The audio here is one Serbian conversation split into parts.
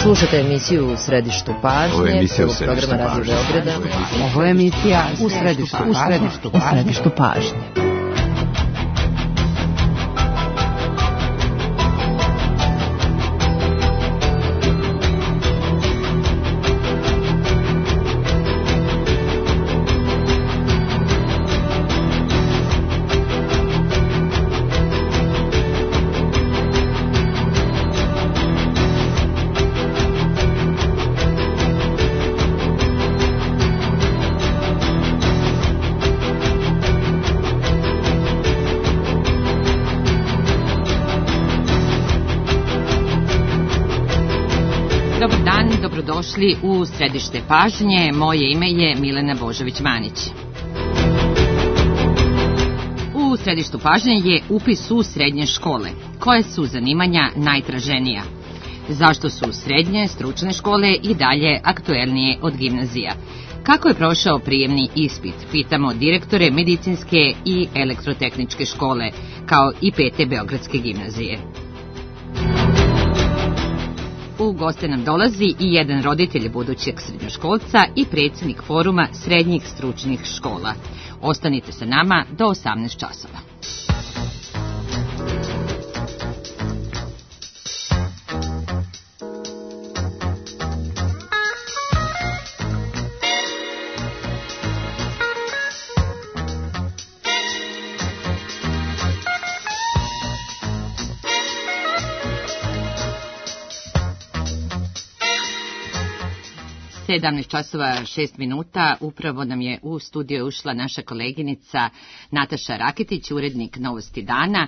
Slušate emisiju U središtu pažnje. Ovo je emisija U središtu pažnje. Ovo je emisija U središtu pažnje. Dobrodošli u središte pažnje. Moje ime je Milena Božović-Manić. U središtu pažnje je upis u srednje škole. Koje su zanimanja najtraženija? Zašto su srednje stručne škole i dalje aktuelnije od gimnazija? Kako je prošao prijemni ispit? Pitamo direktore medicinske i elektrotehničke škole, kao i 5. Beogradske gimnazije. U goste nam dolazi i jedan roditelj budućeg srednjoškolca i predsjednik foruma srednjih stručnih škola. Ostanite sa nama do 18 časova. Časova 6 minuta, upravo nam je u studio ušla naša koleginica Nataša Raketić, urednik Novosti dana.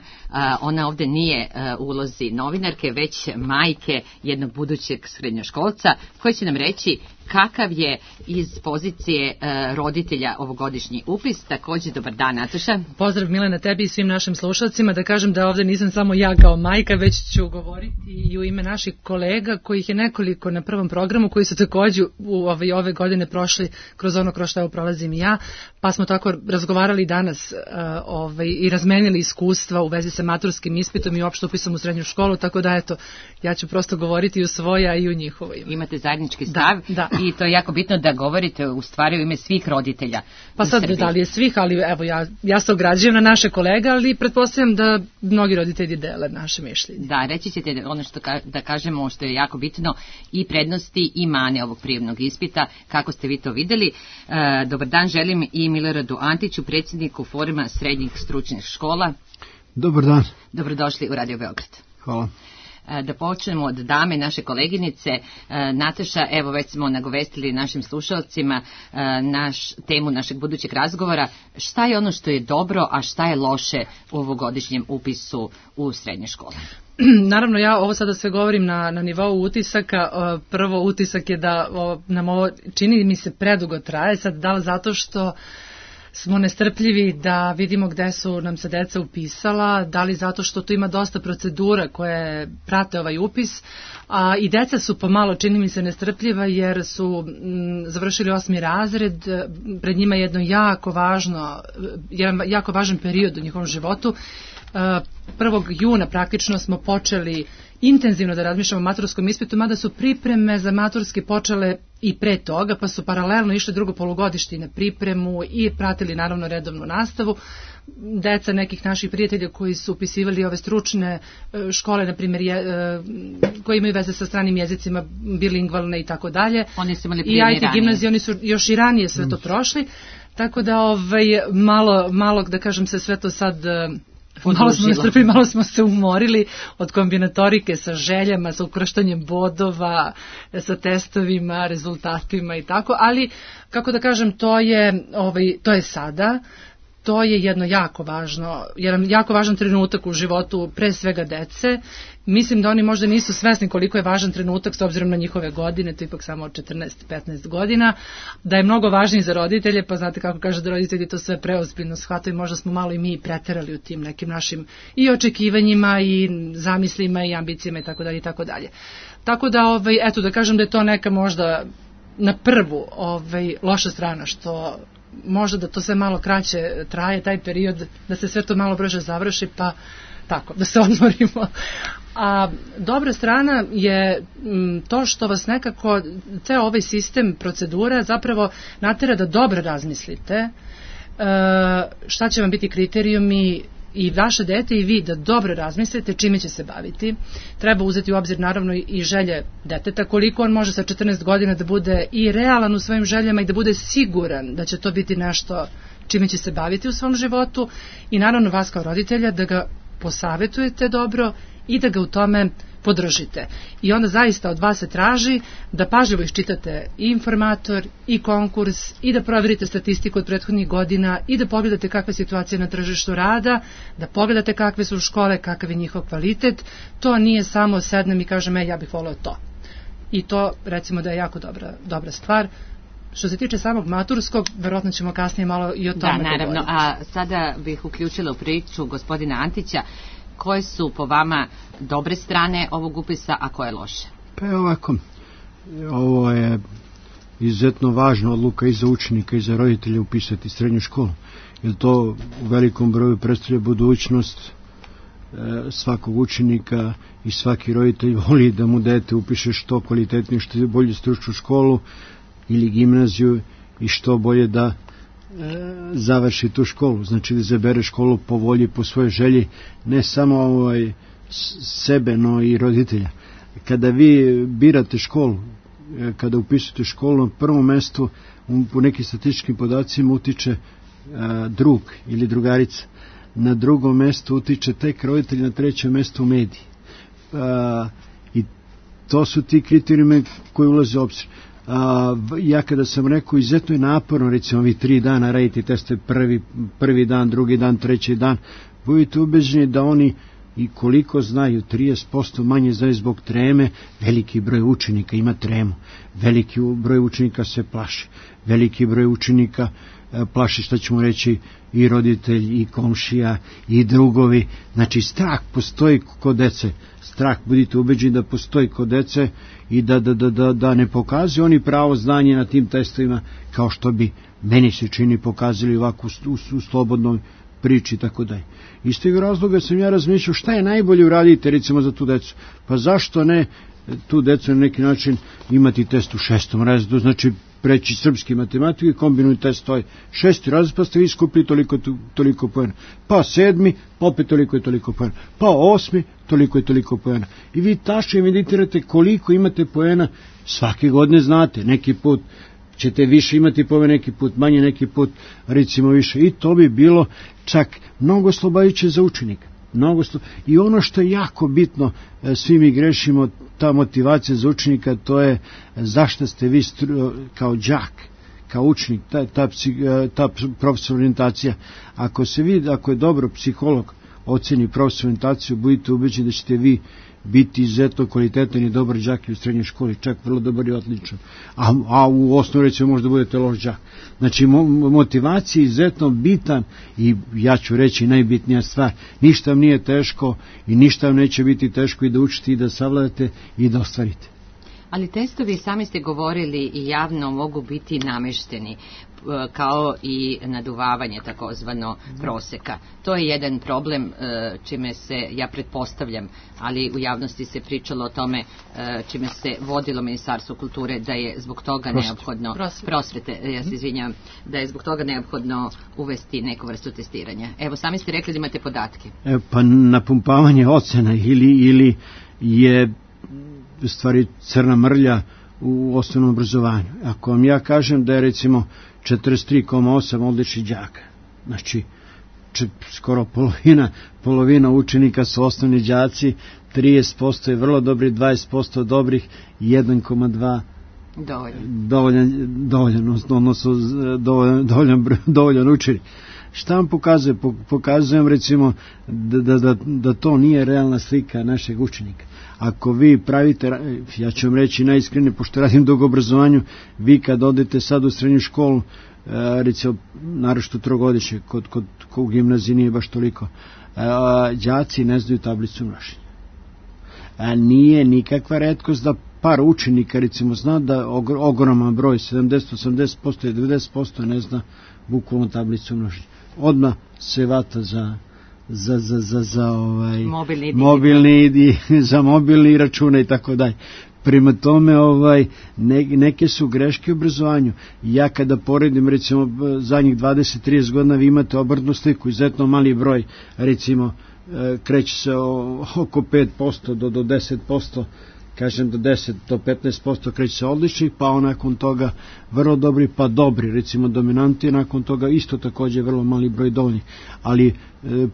Ona ovdje nije u ulozi novinarke, već majke jednog budućeg srednjoškolca, koji će nam reći kakav je iz pozicije roditelja ovogodišnji upis. Također, dobar dan, Nataša. Pozdrav, Milena, tebi i svim našim slušalcima. Da kažem da ovdje nisam samo ja kao majka, već ću govoriti i u ime naših kolega, kojih je nekoliko na prvom programu, koji su također ove godine prošli kroz ono kroz što prolazim i ja, pa smo tako razgovarali danas i razmenili iskustva u vezi sa maturskim ispitom i uopšte upisom u srednju školu, tako da eto, ja ću prosto govoriti i u svoja i u njihovo ime. Imate zajednički stav. Da. I to je jako bitno da govorite u stvari u ime svih roditelja. Pa sad da li je svih, ali evo ja se ograđujem na naše kolege, ali pretpostavljam da mnogi roditelji dele naše mišljenje. Da, reći ćete ono što da kažemo što je jako bitno, i prednosti i mane ovog prijemnog ispita, kako ste vi to vidjeli. Dobar dan želim i Miloradu Antiću, predsjedniku foruma srednjih stručnih škola. Dobar dan. Dobrodošli u Radio Beograd. Hvala. Da počnemo od dame, naše koleginice. Nataša, evo već smo nagovestili našim slušalcima temu našeg budućeg razgovora. Šta je ono što je dobro, a šta je loše u ovogodišnjem upisu u srednje škole? Naravno, ja ovo sada sve govorim na nivou utisaka. Prvo utisak je da nam ovo čini mi se predugo traje. Sad da li zato što smo nestrpljivi da vidimo gde su nam se deca upisala, da li zato što tu ima dosta procedura koje prate ovaj upis, a i deca su pomalo, čini mi se, nestrpljiva jer su završili 8. razred, pred njima je jedan jako važan period u njihovom životu. 1. juna praktično smo počeli intenzivno da razmišljamo o maturskom ispitu, mada su pripreme za maturski počele i pre toga, pa su paralelno išli drugo polugodište na pripremu i pratili naravno redovnu nastavu. Deca nekih naših prijatelja koji su upisivali ove stručne škole, na primjer, koji imaju veze sa stranim jezicima, bilingvalne i tako dalje, i IT gimnazije, oni su još i ranije sve to prošli, tako da malo da kažem se sve to sad malo smo nestrpili, malo smo se umorili od kombinatorike sa željama, sa ukrštanjem bodova, sa testovima, rezultatima i tako, ali kako da kažem, to je sada. To je jedan jako važan trenutak u životu pre svega dece. Mislim da oni možda nisu svesni koliko je važan trenutak s obzirom na njihove godine, to je ipak samo 14-15 godina, da je mnogo važniji za roditelje, pa znate kako kaže da roditelji to sve preozbiljno shvataju, možda smo malo i mi preterali u tim nekim našim i očekivanjima i zamislima i ambicijama i tako dalje i tako dalje. Tako da, eto da kažem da je to neka možda na prvu loša strana, što možda da to sve malo kraće traje, taj period, da se sve to malo brže završi, pa tako, da se odmorimo. A dobra strana je to što vas nekako, ceo ovaj sistem procedura zapravo natera da dobro razmislite šta će vam biti kriterijumi i vaše dete i vi da dobro razmislite čime će se baviti. Treba uzeti u obzir naravno i želje deteta, koliko on može sa 14 godina da bude i realan u svojim željama i da bude siguran da će to biti nešto čime će se baviti u svom životu i naravno vas kao roditelja da ga posavetujete dobro i da ga u tome podržite. I onda zaista od vas se traži da pažljivo iščitate i informator i konkurs i da provjerite statistiku od prethodnih godina i da pogledate kakva je situacija na tržištu rada, da pogledate kakve su škole, kakav je njihov kvalitet. To nije samo sednem i kažem ja bih voleo to. I to recimo da je jako dobra stvar. Što se tiče samog maturskog, verovatno ćemo kasnije malo i o tome govoriti. Da, naravno. A sada bih uključila u priču gospodina Antića. Koje su po vama dobre strane ovog upisa, a koje loše? Pa ovako, ovo je izuzetno važna odluka i za učenika i za roditelja upisati srednju školu, jer to u velikom broju predstavlja budućnost svakog učenika i svaki roditelj voli da mu dete upiše što kvalitetnije, što bolje stručnu školu ili gimnaziju i što bolje da završi tu školu, znači da zabere školu po volji, po svojoj želji, ne samo sebe, no i roditelja. Kada vi birate školu, kada upisujete školu, na prvom mestu po nekim statističkim podacima utiče drug ili drugarica, na drugom mestu utiče tek roditelj, na trećem mestu mediji. I to su ti kriterijumi koji ulaze u obzir. Ja kada sam rekao izuzetno je naporno, recimo ovi 3 dana raditi teste, prvi dan, drugi dan, treći dan, budite ubeđeni da oni i koliko znaju, 30% manje znaju zbog treme, veliki broj učenika ima tremu, veliki broj učenika se plaši, veliki broj učenika plaši, što ćemo reći, i roditelj, i komšija, i drugovi. Znači, strah postoji kod dece. Strah, budite ubeđeni da postoji kod dece i da ne pokazuju oni pravo znanje na tim testovima, kao što bi meni se čini pokazali ovako u slobodnoj priči i tako dalje. Iz tog razloga sam ja razmišljao šta je najbolje uraditi recimo za tu decu. Pa zašto ne tu decu na neki način imati test u 6. razredu, znači preći srpski matematiku i kombinuju test toj 6. razred, pa ste vi skupili toliko poena. Pa 7. opet toliko i toliko poena. Pa 8. toliko i toliko poena. I vi tačno meditirate koliko imate poena, svake godine znate, neki put ćete više imati poena, neki put manje, neki put recimo više. I to bi bilo čak mnogo oslobađajuće za učenika. I ono što je jako bitno, svi mi grešimo, ta motivacija za učenika, to je zašto ste vi kao đak, kao učenik, ta profesionalna orijentacija. Ako je dobro psiholog oceni profesionalnu orijentaciju, budite ubeđeni da ćete vi biti izuzetno kvalitetan i dobar đak i u srednjoj školi, čak vrlo dobar i odličan. A u osnovu recimo možda budete loš đak. Znači motivacija je izuzetno bitan i ja ću reći najbitnija stvar. Ništa vam nije teško i ništa vam neće biti teško i da učite i da savladate i da ostvarite. Ali testovi, sami ste govorili i javno, mogu biti namešteni, kao i naduvavanje takozvano proseka. To je jedan problem čime se, ja pretpostavljam, ali u javnosti se pričalo o tome čime se vodilo Ministarstvo kulture, da je zbog toga neophodno prosvete, ja se izvinjam, da je zbog toga neophodno uvesti neku vrstu testiranja. Evo, sami ste rekli da imate podatke. Pa napumpavanje ocena ili je u stvari crna mrlja u osnovnom obrazovanju. Ako vam ja kažem da je recimo 43,8 odličnih đaka, znači skoro polovina učenika su osnovni đaci, 30% je vrlo dobri, 20% dobrih, 1,2 dovoljan učenik. Šta vam pokazuje? Pokazujem recimo da to nije realna slika našeg učenika. Ako vi pravite, ja ću vam reći najiskrenije, pošto radim dugo obrazovanju, vi kad odete sad u srednju školu, recimo naročito trogodišnje, kod u gimnaziji nije baš toliko, đaci ne znaju tablicu množenja. Nije nikakva retkost da par učenika recimo zna da ogroman broj, 70, 80% i 90% ne zna bukvalno tablicu množenja. Odmah se vata za mobilni račune i tako dalje. Prema tome, neke su greške u obrazovanju. Ja kada poredim, recimo, zadnjih 20-30 godina, vi imate obrtnu sliku, izuzetno mali broj, recimo, kreće se oko 5% do 10%, kažem do 10 do 15% kreće se odličnih, pa nakon toga vrlo dobri, pa dobri, recimo dominanti, nakon toga isto takođe vrlo mali broj dovoljnih, ali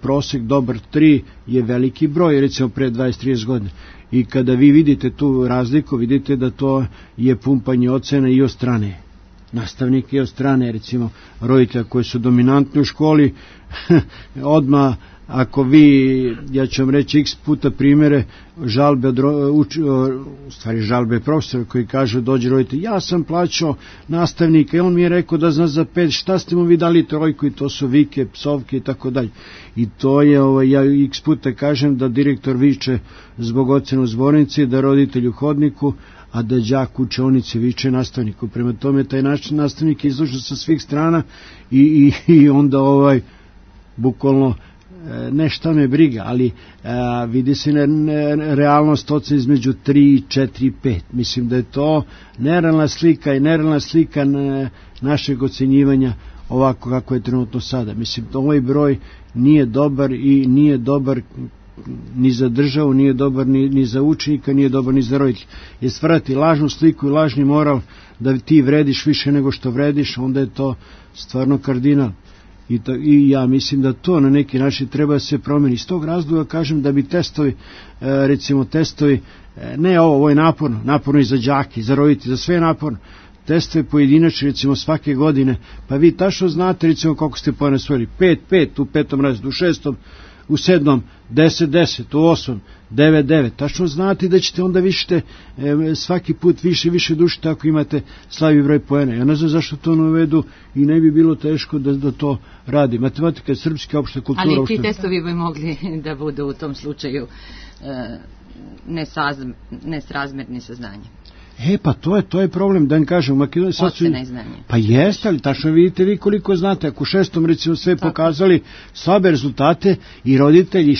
prosek dobar 3 je veliki broj, recimo pre 20-30 godina. I kada vi vidite tu razliku, vidite da to je pumpanje ocena i od strane nastavnika i od strane, recimo, roditelja koji su dominantni u školi, odmah, ako vi, ja ću vam reći x puta primjere, žalbe profesora koji kažu, dođe roditelj, ja sam plaćao nastavnika i on mi je rekao da zna za 5, šta ste mu vi dali trojku, i to su vike, psovke i tako dalje. I to je, ja x puta kažem da direktor viče zbog ocena u zbornici, da roditelj u hodniku, a da đak u učionici viče nastavniku. Prema tome, taj nastavnik je izložen sa svih strana i onda bukvalno ne šta me briga, ali vidi se realnost ocena između 3, 4, 5. Mislim da je to nerealna slika i nerealna slika našeg ocenjivanja ovako kako je trenutno sada. Mislim, ovaj broj nije dobar i nije dobar ni za državu, nije dobar ni za učenika, nije dobar ni za roditelja. Je stvarati lažnu sliku i lažni moral da ti vrediš više nego što vrediš, onda je to stvarno kardinal. I ja mislim da to na neki način treba da se promeni. Iz tog razloga kažem da bi testovi, recimo testovi, ne ovo je naporno i za đake, za roditelje, za sve je naporno. Testovi pojedinačni, recimo svake godine, pa vi tačno znate, recimo, koliko ste poena osvojili. 5 u 5. razredu, u 6. u 7. 10 u 8. 9. Tačno znate da ćete onda više svaki put više dušite ako imate slabi broj poena. Ja ne znam zašto to ne uvedu i ne bi bilo teško da to radi. Matematika je srpska, opšta kultura. Ali ti testovi bi mogli da budu u tom slučaju nesrazmerni sa znanjem. Pa to je problem, da vam kažem. Ocena i znanje. Pa jeste, ali tačno vidite vi koliko znate. Ako u 6. recimo sve pokazali slabe rezultate i roditelji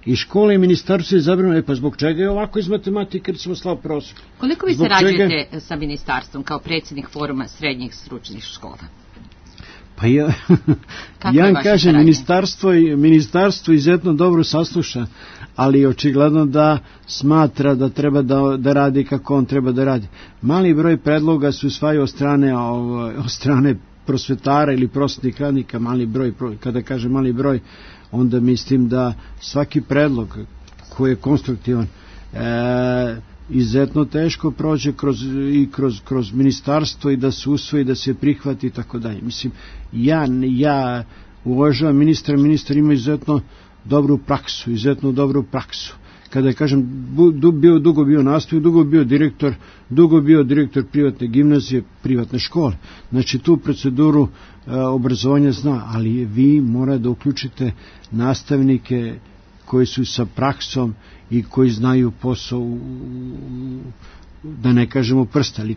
i škola i ministarstvo je zabrano, pa zbog čega je ovako iz matematike recimo slab prosek? Koliko vi sarađujete sa ministarstvom kao predsjednik foruma srednjih stručnih škola? Pa ja vam kažem, ministarstvo izuzetno dobro sasluša, ali očigledno da smatra da treba da radi kako on treba da radi. Mali broj predloga se usvaja od strane prosvetara ili prosvetnih radnika, mali broj, kada kažem mali broj, onda mislim da svaki predlog koji je konstruktivan izuzetno teško prođe kroz ministarstvo i da se usvoji, da se prihvati i tako dalje. Mislim, ja uvažavam ministar ima izuzetno dobru praksu. Kada kažem, dugo bio nastavnik, dugo bio direktor privatne gimnazije, privatne škole. Znači, tu proceduru obrazovanja zna, ali vi morate da uključite nastavnike koji su sa praksom i koji znaju posao, da ne kažemo prsta, ali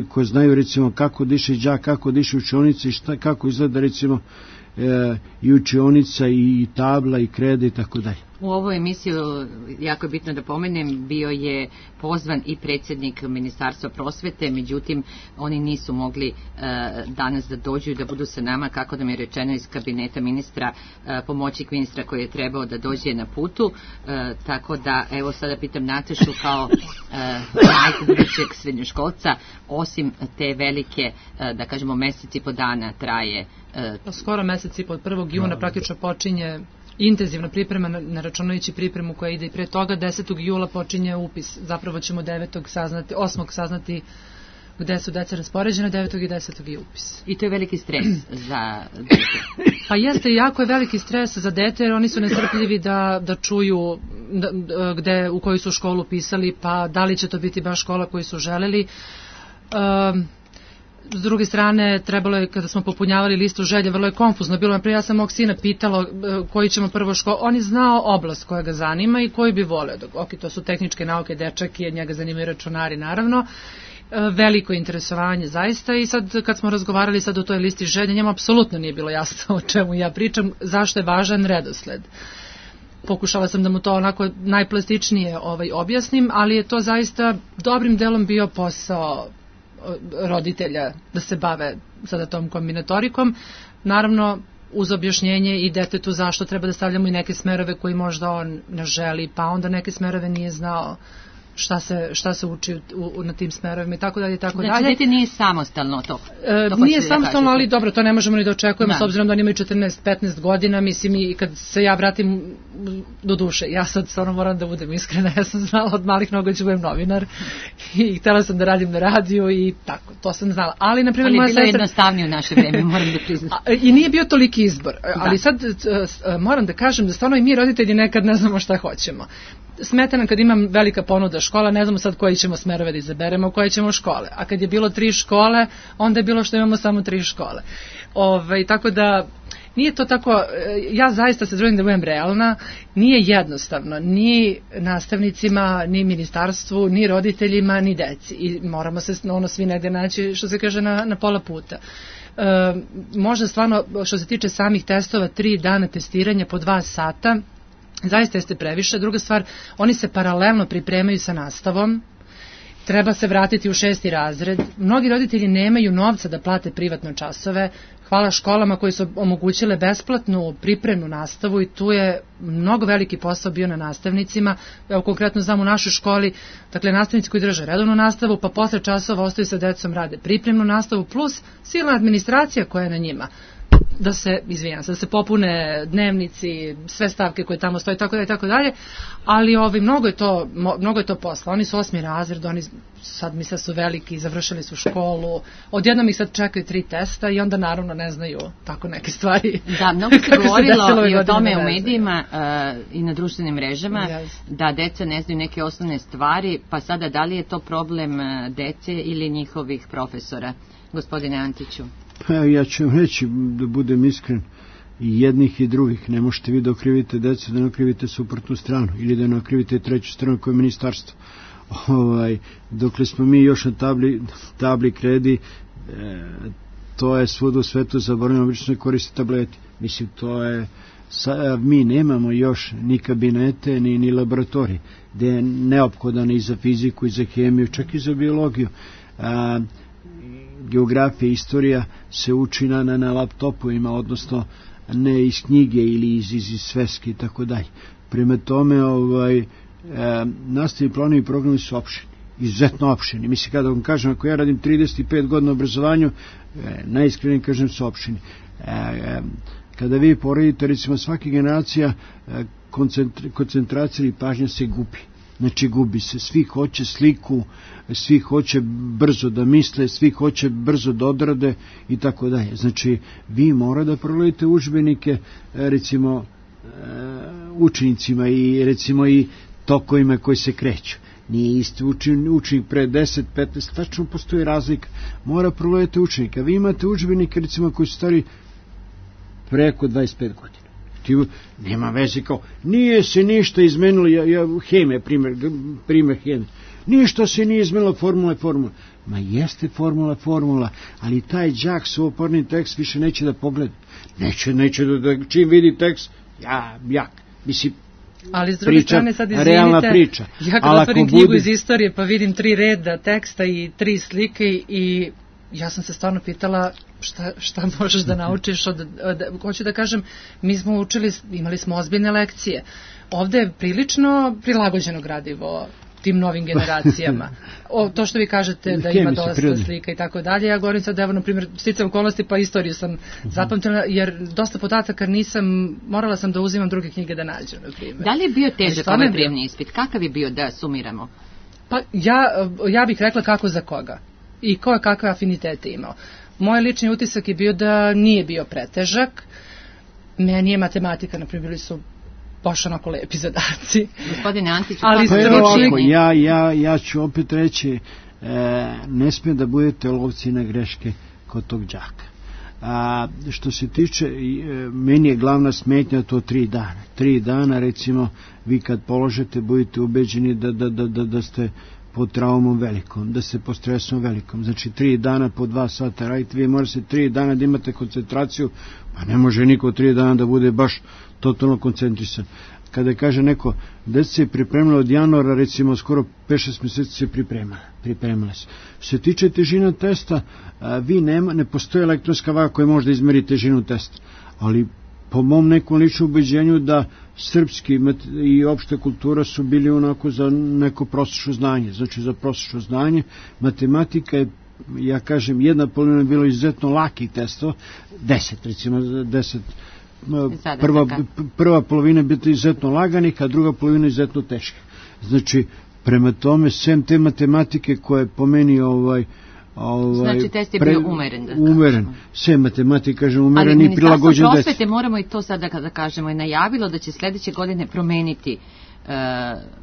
koji znaju recimo kako diše đak, kako diše učionica i kako izgleda recimo i učionica i tabla i kreda i tako dalje. U ovu emisiju, jako je bitno da pomenem, bio je pozvan i predsjednik Ministarstva prosvete, međutim oni nisu mogli danas da dođu i da budu sa nama, kako nam je rečeno iz kabineta ministra, pomoćnik ministra koji je trebao da dođe na putu, tako da evo sada pitam Natašu kao majku budućeg srednjoškolca, osim te velike, da kažemo mesec i po dana traje. Skoro mesec i po, od 1. juna praktično počinje intenzivna priprema, ne računajući pripremu koja ide i pre toga. 10. jula počinje upis, zapravo ćemo 8. saznati gde su deca raspoređena, 9. i 10. je upis. I to je veliki stres za dete. Pa jeste, jako je veliki stres za dete, jer oni su nestrpljivi da čuju u koju su školu pisali, pa da li će to biti baš škola koju su želeli. S druge strane, trebalo je, kada smo popunjavali listu želje, vrlo je konfuzno bilo. Naprijed, ja sam mog sina pitala koji ćemo prvo školu. On je znao oblast koja ga zanima i koju bi voleo. Ok, to su tehničke nauke, dečak, jer njega zanimaju računari, naravno. veliko interesovanje zaista i sad kad smo razgovarali sad o toj listi želja, njemu apsolutno nije bilo jasno o čemu ja pričam, zašto je važan redosled. Pokušala sam da mu to onako najplastičnije objasnim, ali je to zaista dobrim delom bio posao roditelja da se bave sada tom kombinatorikom. Naravno, uz objašnjenje i detetu zašto treba da stavljamo i neke smerove koji možda on ne želi, pa onda neke smerove nije znao šta se uči na tim smerovima i tako dalje i tako dalje. Znači, dete nije samostalno to? Nije samostalno, ali dobro, to ne možemo ni da očekujemo, s obzirom da oni imaju 14-15 godina, mislim, i kad se ja vratim do duše, ja sad stvarno moram da budem iskrena, ja sam znala od malih nogu da ću budem novinar i htjela sam da radim na radiju i tako, to sam znala. Ali, na primjer, moja sestra... Ali je bilo jednostavnije u naše vreme, moram da priznam. I nije bio toliki izbor, ali sad moram da kažem da stvarno i mi roditelji nekad ne znamo šta hoćemo. Smeta nam kad imam velika ponuda škola, ne znamo sad koji ćemo smerove da izaberemo, koje ćemo škole. A kad je bilo 3 škole, onda je bilo što imamo samo 3 škole. Tako da, nije to tako, ja zaista se trudim da budem realna, nije jednostavno, ni nastavnicima, ni ministarstvu, ni roditeljima, ni deci. I moramo se svi negde naći, što se kaže, na pola puta. Možda stvarno, što se tiče samih testova, 3 dana testiranja po 2 sata, zaista jeste previše. Druga stvar, oni se paralelno pripremaju sa nastavom, treba se vratiti u 6. razred. Mnogi roditelji nemaju novca da plate privatno časove. Hvala školama koji su omogućile besplatnu pripremnu nastavu i tu je mnogo veliki posao bio na nastavnicima. Evo, konkretno znam u našoj školi, dakle, nastavnici koji drže redovnu nastavu, pa posle časova ostaju sa decom, rade pripremnu nastavu, plus silna administracija koja je na njima. Da se popune dnevnici, sve stavke koje tamo stoje, tako dalje, ali mnogo je to posla. Oni su 8. razred, oni sad misle su veliki, završili su školu, odjednom ih sad čekaju 3 testa i onda naravno ne znaju tako neke stvari. Da, mnogo se govorilo i o tome u medijima i na društvenim mrežama, da deca ne znaju neke osnovne stvari, pa sada da li je to problem dece ili njihovih profesora, gospodine Antiću? Pa ja ću vam reći, da budem iskren, i jednih i drugih. Ne možete vi da okrivite decu, da ne okrivite suprotnu stranu ili da ne okrivite treću stranu koje je ministarstvo. Dokle smo mi još na tabli kredi, to je svuda u svetu zaboravljeno, obično se koriste tableti. Mislim, to je... mi nemamo još ni kabinete, ni laboratorije, gde je neophodan i za fiziku, i za hemiju, čak i za biologiju. Geografija, istorija se uči na laptopovima, odnosno ne iz knjige ili iz sveske i tako dalje. Prema tome, nastavni planovi i programi su opšeni, izuzetno opšeni. Mislim, kada vam kažem, ako ja radim 35 godina u obrazovanju, najiskrenije kažem su opšeni. Kada vi poredite, recimo, svaka generacija, koncentracija i pažnja se gubi. Znači, gubi se, svi hoće sliku, svi hoće brzo da misle, svi hoće brzo da odrade i tako dalje. Znači, vi mora da proledite udžbenike, recimo, učenicima i recimo i tokovima koji se kreću. Nije isti učenik pre 10-15, tačno postoji razlika. Mora proledite učenika. Vi imate udžbenike, recimo, koji su stari preko 25 godina. Nema veze, kao, nije se ništa izmenilo, hemija, primjer hemije, ništa se nije izmenilo, formula. Ma jeste formula, ali taj đak suvoparni tekst više neće da pogleda. Neće da čim vidi tekst, jak, mislim, ali s druge strane, sad izvinite, realna priča. Ja kad otvorim knjigu iz istorije pa vidim 3 reda teksta i 3 slike i ja sam se stvarno pitala šta možeš da naučiš. Hoću da kažem, mi smo učili, imali smo ozbiljne lekcije. Ovde je prilično prilagođeno gradivo tim novim generacijama. To što vi kažete da ima dosta slika i tako dalje, ja govorim sad, evo, na primjer, sticam okolnosti, pa istoriju sam zapamtila, jer dosta podataka morala sam da uzimam druge knjige da nađem, na primjer. Da li je bio težak ovaj prijemni ispit? Kakav je bio, da sumiramo? Pa ja bih rekla kako za koga i ko je kakve afinitete imao. Moj lični utisak je bio da nije bio pretežak. Meni je matematika, na primjer, bili su baš onako lepi zadaci. Gospodine Antiću, ali ja ću opet reći, ne smije da budete lovci na greške kod tog đaka. Što se tiče, meni je glavna smetnja to 3 dana. 3 dana, recimo, vi kad položete, budete ubeđeni da ste pod traumom velikom, da ste pod stresom velikom. Znači 3 dana po 2 sata radite, vi morate 3 dana da imate koncentraciju, pa ne može niko 3 dana da bude baš totalno koncentrisan. Kada kaže neko, deca se pripremila od januara, recimo skoro 5-6 mjeseci se pripremila se. Što se tiče težina testa, ne postoji elektronska vaga koja može da izmeri težinu testa, ali po mom nekom ličnom ubeđenju da srpski i opšta kultura su bili onako za neko prosječno znanje. Znači za prosječno znanje matematika je, ja kažem, jedna polovina bilo izuzetno lakih testova, 10 recimo, 10 prva polovina biti izuzetno laganih, a druga polovina izuzetno teška. Znači, prema tome, sem te matematike koje po meni znači test je bio umeren. Umeren. Sve matematika, kažem, umeren i prilagođen deci. Ali Ministarstvo prosvete, moramo i to sada kada kažemo, je najavilo da će sljedeće godine promeniti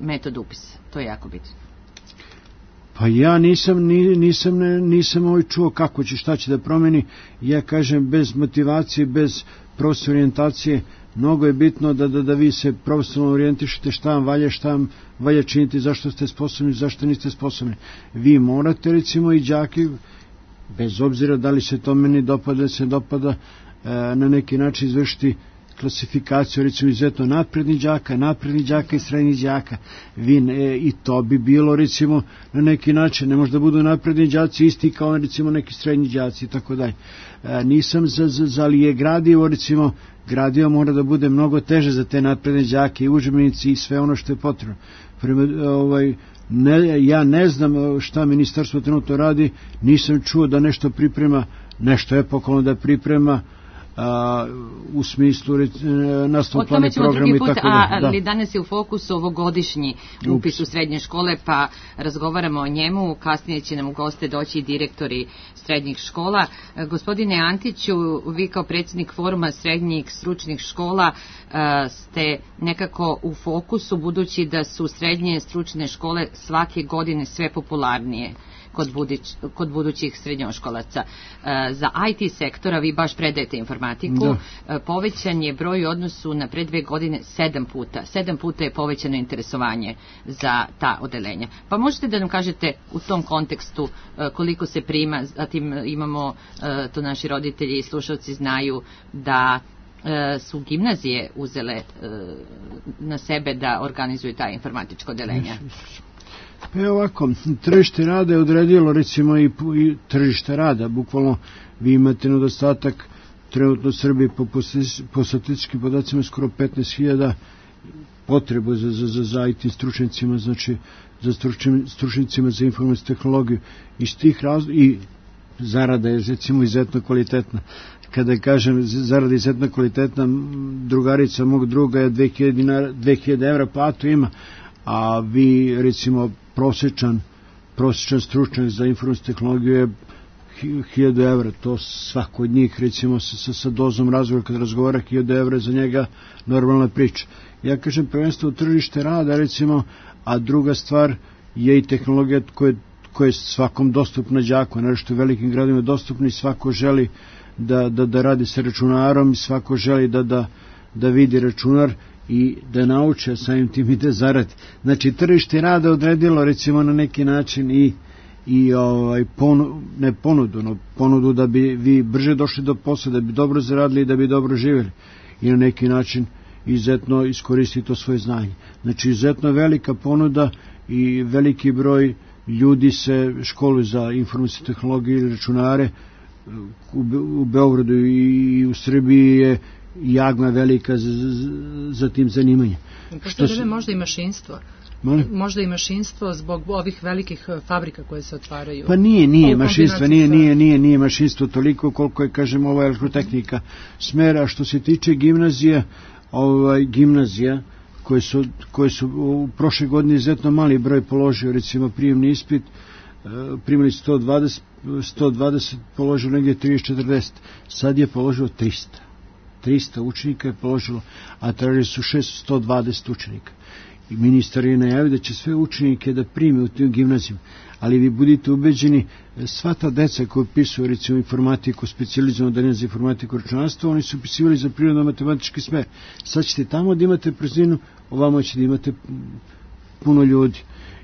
metod upisa. To je jako bitno. Pa ja nisam čuo kako će, šta će da promeni. Ja kažem, bez motivacije, bez profesionalne orijentacije, mnogo je bitno da vi se profesionalno orijentišete šta vam valja, šta vam valja činiti, zašto ste sposobni, zašto niste sposobni. Vi morate, recimo, i đaki, bez obzira da li se to meni dopada, da se dopada, na neki način izvršiti klasifikaciju, recimo, izuzetno naprednih đaka i srednjih đaka. I to bi bilo, recimo, na neki način, ne može da budu napredni đaci isti kao, recimo, neki srednji đaci i tako dalje. Nisam ali je gradivo, recimo, gradivo mora da bude mnogo teže za te napredne đake i udžbenici i sve ono što je potrebno. Ja ne znam šta ministarstvo trenutno radi, nisam čuo da nešto priprema, nešto epohalno da priprema, u smislu nastavnog plana programa i tako da. Ali danas je u fokusu ovogodišnji upis u srednje škole, pa razgovaramo o njemu. Kasnije će nam u goste doći i direktori srednjih škola. Gospodine Antiću, vi kao predsjednik foruma srednjih stručnih škola ste nekako u fokusu, budući da su srednje stručne škole svake godine sve popularnije kod budućih srednjoškolaca. Za IT sektora vi baš predajete informatiku. Povećan je broj u odnosu na pre 2 godine 7 puta. 7 puta je povećano interesovanje za ta odeljenja. Pa možete da nam kažete u tom kontekstu koliko se prima, zatim imamo, to naši roditelji i slušalci znaju, da su gimnazije uzele na sebe da organizuju ta informatička odeljenja. Pa je ovako, tržište rada je odredilo, recimo, i tržište rada, bukvalno vi imate nedostatak trenutno u Srbiji po statističkim podacima skoro 15.000 potrebu za IT stručnicima, znači za stručnicima za informacijsku tehnologiju. Iz tih razloga i zarada je, recimo, izuzetno kvalitetna. Kada kažem zarada je izuzetno kvalitetna, drugarica mog druga je 2000 evra platu ima, a vi, recimo, prosječan stručnjak za informacijsku tehnologiju je 1000 evra. To svako od njih, recimo, sa dozom razgovora, kad razgovara, 1000 evra za njega normalna priča. Ja kažem, prvenstvo u tržište rada, recimo, a druga stvar je i tehnologija koja je svakom dostupna đaku, naročito u velikim gradovima dostupna, i svako želi da radi sa računarom, i svako želi da vidi računar i da nauče, samim tim i da zaradi. Znači, tržište rada odredilo, recimo, na neki način ponudu da bi vi brže došli do posla, da bi dobro zaradili i da bi dobro živjeli, i na neki način izuzetno iskoristiti to svoje znanje. Znači, izuzetno velika ponuda i veliki broj ljudi se školuju za informacijsku tehnologiju i računare. U Beogradu i u Srbiji je jagma velika za tim zanimanjem. Pošto je možda i mašinstvo. Možda i mašinstvo zbog ovih velikih fabrika koje se otvaraju. Pa nije mašinstvo, nije mašinstvo toliko koliko je, kažem, ova elektrotehnika smera. Što se tiče gimnazija koje su u prošle godine izuzetno mali broj položio, recimo prijemni ispit, primili 120, položilo negdje 30-40, sad je položilo 300 učenika je položilo, a tražili su 120 učenika. I ministar je najavio da će sve učenike da prime u tim gimnazijama, ali vi budite ubeđeni, sva ta deca koja upisuju, recimo, informatiku, specijalizovano odeljenje za informatiku i računarstvo, oni su upisivali za prirodno-matematički smer. Sad ćete tamo da imate prazninu, ovamo ćete da imate puno ljudi.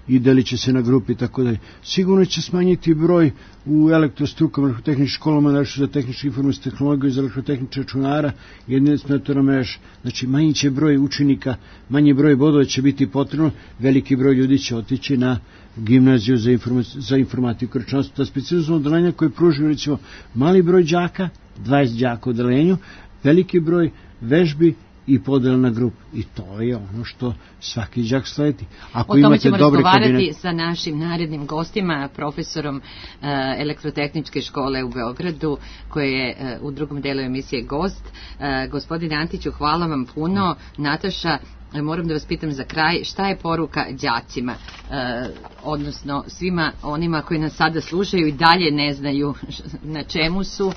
i delit će se na grupi i tako dalje. Sigurno će smanjiti broj u elektrostrukama, elektrotehničkim školama, nešto za tehničku informacijsku tehnologiju, za elektrotehničke računara, jednosmetara mreža. Znači, manji će broj učenika, manji broj bodova će biti potrebno, veliki broj ljudi će otići na gimnaziju za informatiku i računarstvo. Ta specijalno odeljenja koje pružuju, recimo, mali broj đaka, 20 đaka u odelenju, veliki broj vežbi i podela na grupu. I to je ono što svaki đak sledi. Ako o tome ćemo razgovarati sa našim narednim gostima, profesorom elektrotehničke škole u Beogradu, koji je u drugom delu emisije gost. Gospodine Antiću, hvala vam puno. Nataša, moram da vas pitam za kraj, šta je poruka đacima, odnosno svima onima koji nas sada slušaju i dalje ne znaju na čemu su,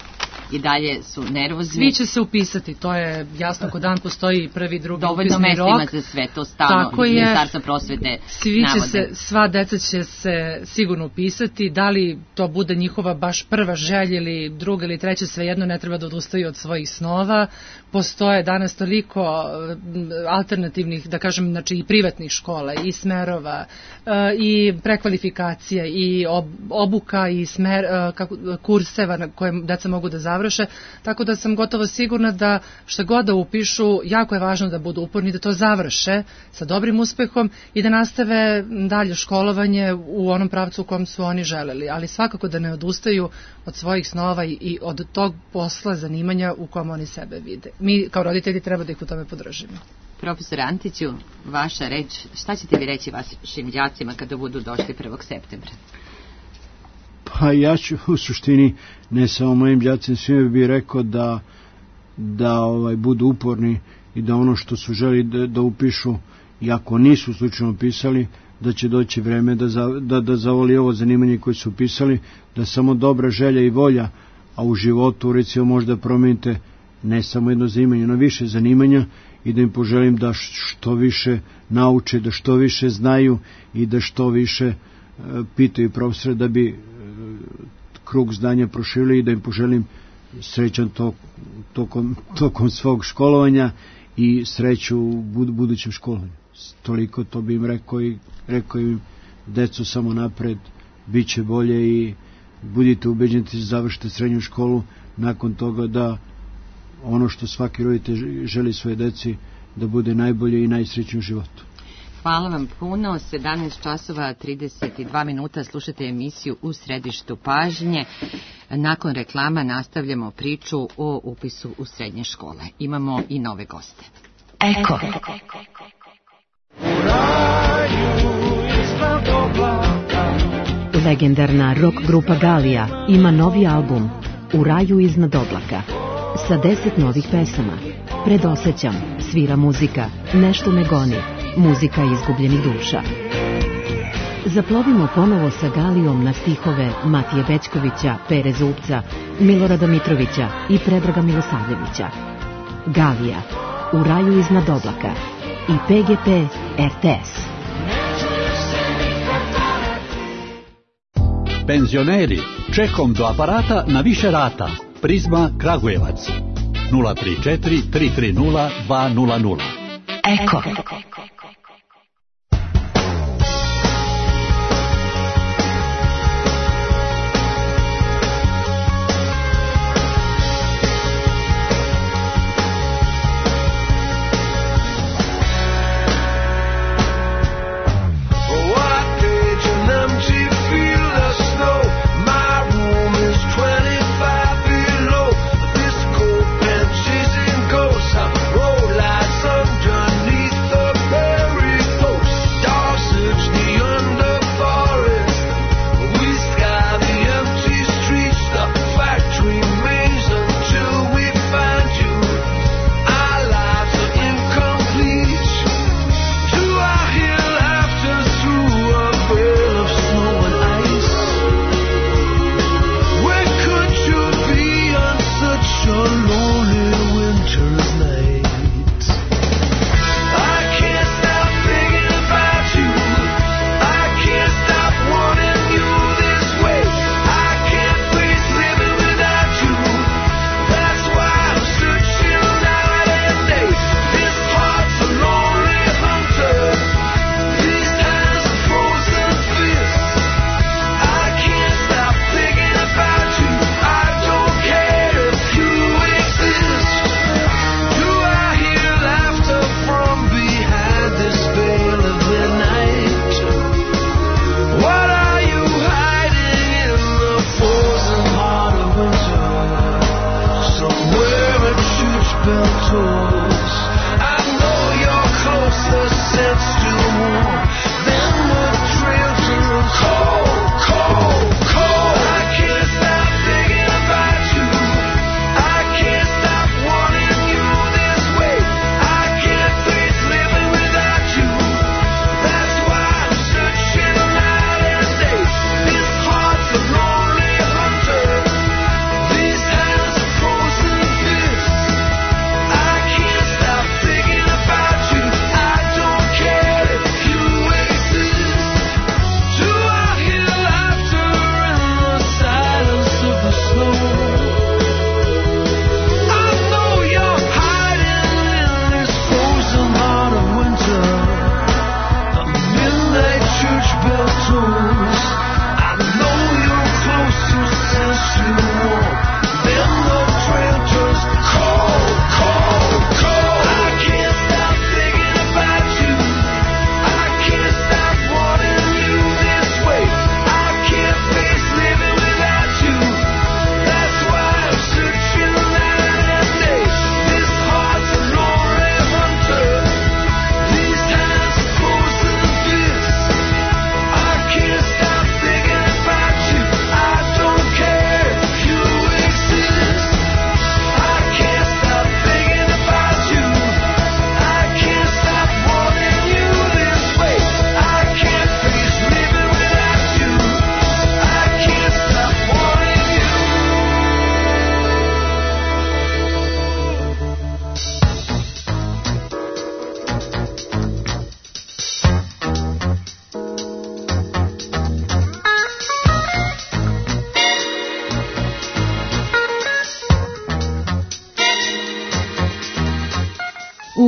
i dalje su nervozni. Svi će se upisati, to je jasno, ko dan postoji prvi, drugi dovoljno mesta ima za sve, to stalno Ministarstvo prosvete navode. Sva deca će se sigurno upisati, da li to bude njihova baš prva želja ili druga ili treća, svejedno, ne treba da odustaju od svojih snova. Postoje danas toliko alternativnih, da kažem, znači i privatnih škola, i smerova, i prekvalifikacija, i obuka, i kurseva na koje deca mogu da završe, tako da sam gotovo sigurna da šta god da upišu, jako je važno da budu uporni, da to završe sa dobrim uspehom i da nastave dalje školovanje u onom pravcu u kom su oni želeli, ali svakako da ne odustaju od svojih snova i od tog posla, zanimanja u kom oni sebe vide. Mi kao roditelji treba da ih u tome podržimo. Profesor Antiću, vaša reč, šta ćete vi reći vašim đacima kada budu došli 1. septembra? Pa ja ću u suštini, ne samo mojim đacima, svima bih rekao da budu uporni i da ono što su želi da upišu, i ako nisu slučajno upisali, da će doći vreme da zavoli ovo zanimanje koje su upisali, da samo dobra želja i volja, a u životu recimo možda promenite ne samo jedno zanimanje, no više zanimanja, i da im poželim da što više nauče, da što više znaju i da što više pitaju profesora da bi krug znanja proširili, i da im poželim srećan tokom svog školovanja i sreću u budućem školovanju. Toliko to bi im rekao im, deco, samo napred, bit će bolje i budite ubeđeni da završite srednju školu, nakon toga da ono što svaki roditelj želi svoje deci, da bude najbolje i najsrećnije u životu. Hvala vam puno. 17 časova 32 minuta slušate emisiju U središtu pažnje. Nakon reklama nastavljamo priču o upisu u srednje škole. Imamo i nove goste. Eko. Legendarna rock grupa Galija ima novi album U raju iznad oblaka sa 10 novih pesama. Predosećam, svira muzika, nešto me goni, muzika izgubljenih duša. Zaplovimo ponovo sa Galijom na stihove Matije Bećkovića, Pere Zupca, Milorada Mitrovića i Predraga Milosavljevića. Galija, U raju iznad oblaka i PGP RTS. Penzioneri, čekom do aparata na više rata. Prizma Kragujevac 034 330 200. Eko. Roll lights underneath the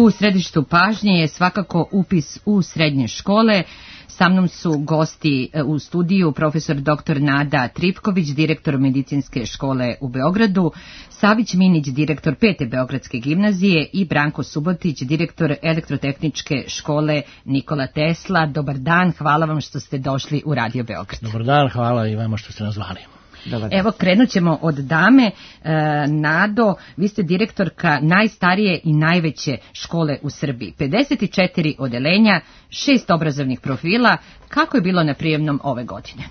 U središtu pažnje je svakako upis u srednje škole. Sa mnom su gosti u studiju profesor dr. Nada Tripković, direktor medicinske škole u Beogradu, Savić Minić, direktor 5. Beogradske gimnazije i Branko Subotić, direktor elektrotehničke škole Nikola Tesla. Dobar dan, hvala vam što ste došli u Radio Beograd. Dobar dan, hvala i vama što ste nas zvali. Evo, krenut ćemo od dame. Nado, vi ste direktorka najstarije i najveće škole u Srbiji. 54 odeljenja, 6 obrazovnih profila. Kako je bilo na prijemnom ove godine?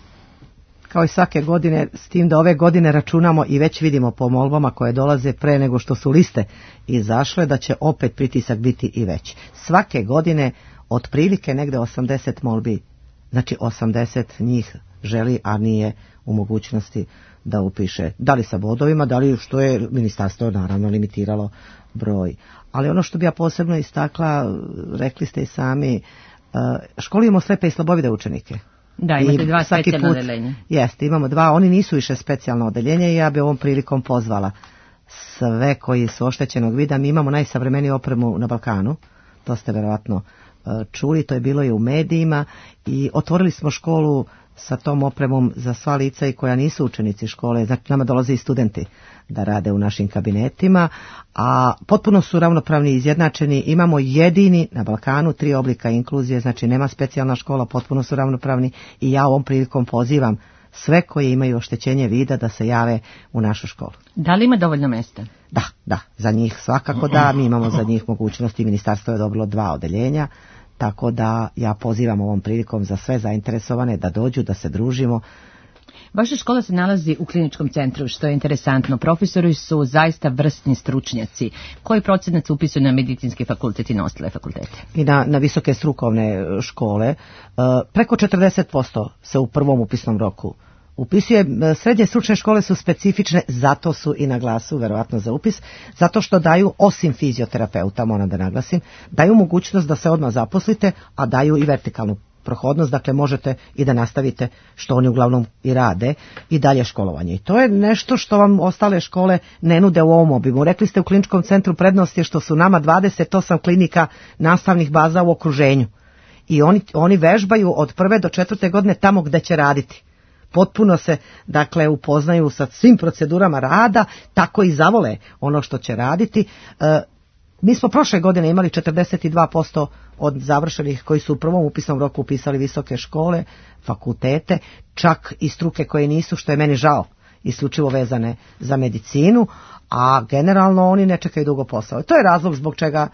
Kao i svake godine, s tim da ove godine računamo i već vidimo po molbama koje dolaze pre nego što su liste izašle, da će opet pritisak biti i veći. Svake godine otprilike negde 80 molbi, znači 80 njih želi, a nije u mogućnosti da upiše, da li sa bodovima, da li što je ministarstvo naravno limitiralo broj. Ali ono što bi ja posebno istakla, rekli ste i sami, školu imamo slepe i slabovide učenike. Da, imate 2 specijalna odeljenja. Jeste, imamo 2, oni nisu više specijalno odeljenje i ja bi ovom prilikom pozvala sve koji su oštećenog vida. Mi imamo najsavremeniju opremu na Balkanu, to ste verovatno čuli, to je bilo i u medijima, i otvorili smo školu sa tom opremom za sva lica i koja nisu učenici škole. Znači, nama dolaze i studenti da rade u našim kabinetima, a potpuno su ravnopravni i izjednačeni. Imamo jedini na Balkanu 3 oblika inkluzije, znači nema specijalna škola, potpuno su ravnopravni, i ja ovom prilikom pozivam sve koji imaju oštećenje vida da se jave u našu školu. Da li ima dovoljno mesta? Da, za njih svakako da, mi imamo za njih mogućnosti, ministarstvo je dobilo 2 odeljenja, tako da ja pozivam ovom prilikom za sve zainteresovane da dođu, da se družimo. Vaša škola se nalazi u kliničkom centru, što je interesantno. Profesori su zaista vrsni stručnjaci. Koji procenat se upisuju na medicinski fakultet i na ostale fakultete? I na visoke strukovne škole. Preko 40% se u prvom upisnom roku upisuje. Srednje stručne škole su specifične, zato su i na glasu verovatno za upis, zato što daju, osim fizioterapeuta, moram da naglasim, daju mogućnost da se odmah zaposlite, a daju i vertikalnu prohodnost, dakle možete i da nastavite, što oni uglavnom i rade, i dalje školovanje. I to je nešto što vam ostale škole ne nude u ovom obimu. Rekli ste, u kliničkom centru prednost je što su nama 28 klinika nastavnih baza u okruženju. I oni vežbaju od 1. do 4. godine tamo gde će raditi. Potpuno se, dakle, upoznaju sa svim procedurama rada, tako i zavole ono što će raditi. Mi smo prošle godine imali 42% od završenih koji su u prvom upisnom roku upisali visoke škole, fakultete, čak i struke koje nisu, što je meni žao, isključivo vezane za medicinu, a generalno oni ne čekaju dugo posao. To je razlog zbog čega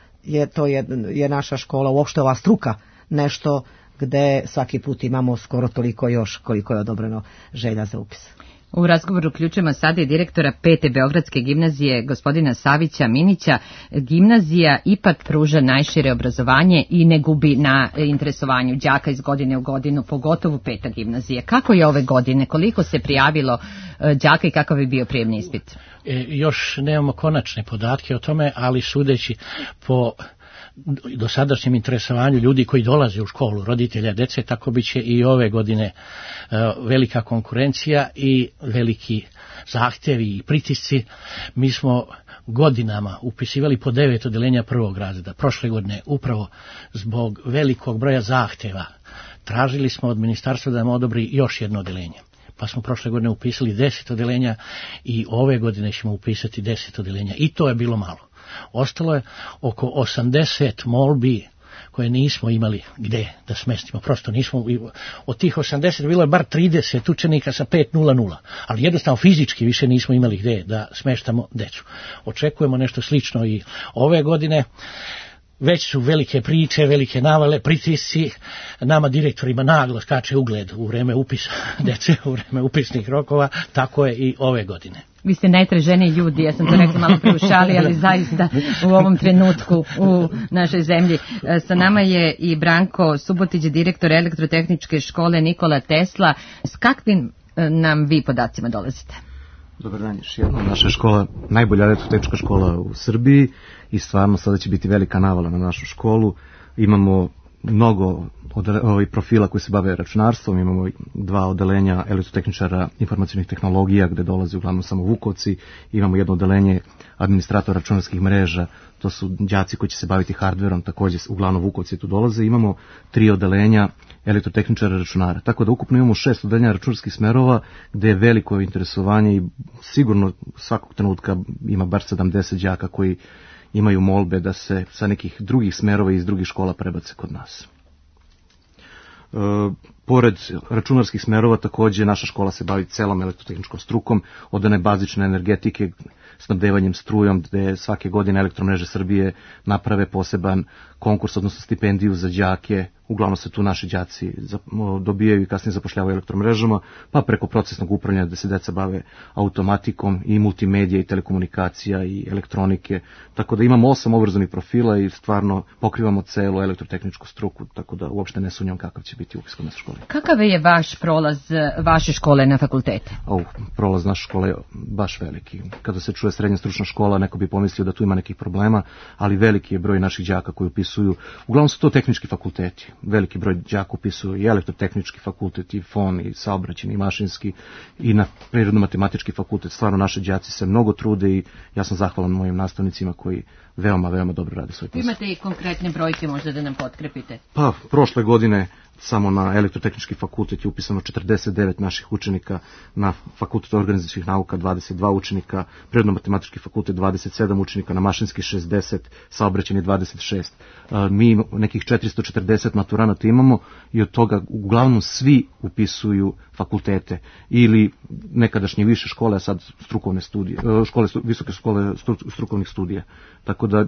je naša škola, uopšte ova struka, nešto gde svaki put imamo skoro toliko još koliko je odobreno želja za upis. U razgovoru uključujemo sada i direktora 5. Beogradske gimnazije, gospodina Savića Minića. Gimnazija ipak pruža najšire obrazovanje i ne gubi na interesovanju đaka iz godine u godinu, pogotovo 5. gimnazije. Kako je ove godine? Koliko se prijavilo đaka i kakav je bio prijemni ispit? Još nemamo konačne podatke o tome, ali sudeći po dosadašnjem interesovanju ljudi koji dolaze u školu, roditelja, dece, tako bit će i ove godine velika konkurencija i veliki zahtjevi i pritisci. Mi smo godinama upisivali po 9 odeljenja prvog razreda. Prošle godine, upravo zbog velikog broja zahtjeva, tražili smo od ministarstva da nam odobri još jedno odeljenje. Pa smo prošle godine upisali 10 odeljenja i ove godine ćemo upisati 10 odeljenja. I to je bilo malo. Ostalo je oko 80 molbi koje nismo imali gde da smestimo. Prosto nismo, od tih 80 bilo je bar 30 učenika sa 5.00, ali jednostavno fizički više nismo imali gde da smeštamo decu. Očekujemo nešto slično i ove godine. Već su velike priče, velike navale, pritisci, nama direktorima naglo skače ugled u vreme upisa dece, u vreme upisnih rokova, tako je i ove godine. Vi ste najtraženiji ljudi, ja sam to rekla malo pre u šali, ali zaista u ovom trenutku u našoj zemlji. Sa nama je i Branko Subotić, direktor elektrotehničke škole Nikola Tesla. S kakvim nam vi podacima dolazite? Dobar dan, još jednom. Naša škola, najbolja elektrotehnička škola u Srbiji i stvarno sada će biti velika navala na našu školu. Imamo mnogo profila koji se bave računarstvom, imamo 2 odelenja elektrotehničara informacionih tehnologija gde dolaze uglavnom samo Vukovci, imamo jedno odelenje administratora računarskih mreža, to su đaci koji će se baviti hardverom, također uglavnom Vukovci tu dolaze, imamo 3 odelenja elektrotehničara računara, tako da ukupno imamo 6 odelenja računarskih smerova gde je veliko interesovanje i sigurno svakog trenutka ima bar 70 đaka koji imaju molbe da se sa nekih drugih smerova iz drugih škola prebace kod nas. Pored računarskih smerova također naša škola se bavi celom elektrotehničkom strukom, od one bazične energetike, snabdevanjem strujom, gde svake godine Elektromreže Srbije naprave poseban konkurs, odnosno stipendiju za đake, uglavnom se tu naši đaci dobijaju i kasnije zapošljavaju elektromrežama, pa preko procesnog upravljanja da se deca bave automatikom i multimedija i telekomunikacija i elektronike, tako da imamo 8 obrazovnih profila i stvarno pokrivamo celu elektrotehničku struku, tako da uopšte ne sumnjam kakav će biti upis kod naše škole. Kakav je vaš prolaz vaše škole na fakultete? Prolaz naše škole je baš veliki. Kada se čuje srednja stručna škola, neko bi pomislio da tu ima nekih problema, ali veliki je broj naših đaka koji upisuju, uglavnom su to tehnički fakulteti. Veliki broj đaka upisuju i elektrotehnički fakultet, i FON, i saobraćajni, i mašinski, i na prirodno-matematički fakultet. Stvarno naši đaci se mnogo trude i ja sam zahvalan mojim nastavnicima koji veoma dobro rade svoj posao. Imate i konkretne brojke možda da nam potkrepite? Pa, prošle godine samo na elektrotehnički fakultet je upisano 49 naših učenika, na fakultetu organizacijskih nauka 22 učenika, prirodno-matematički fakultet 27 učenika, na mašinski 60, saobraćajni 26. Mi nekih 440 maturanata imamo i od toga uglavnom svi upisuju fakultete ili nekadašnje više škole, a sad strukovne studije, visoke škole strukovnih studija. Tako da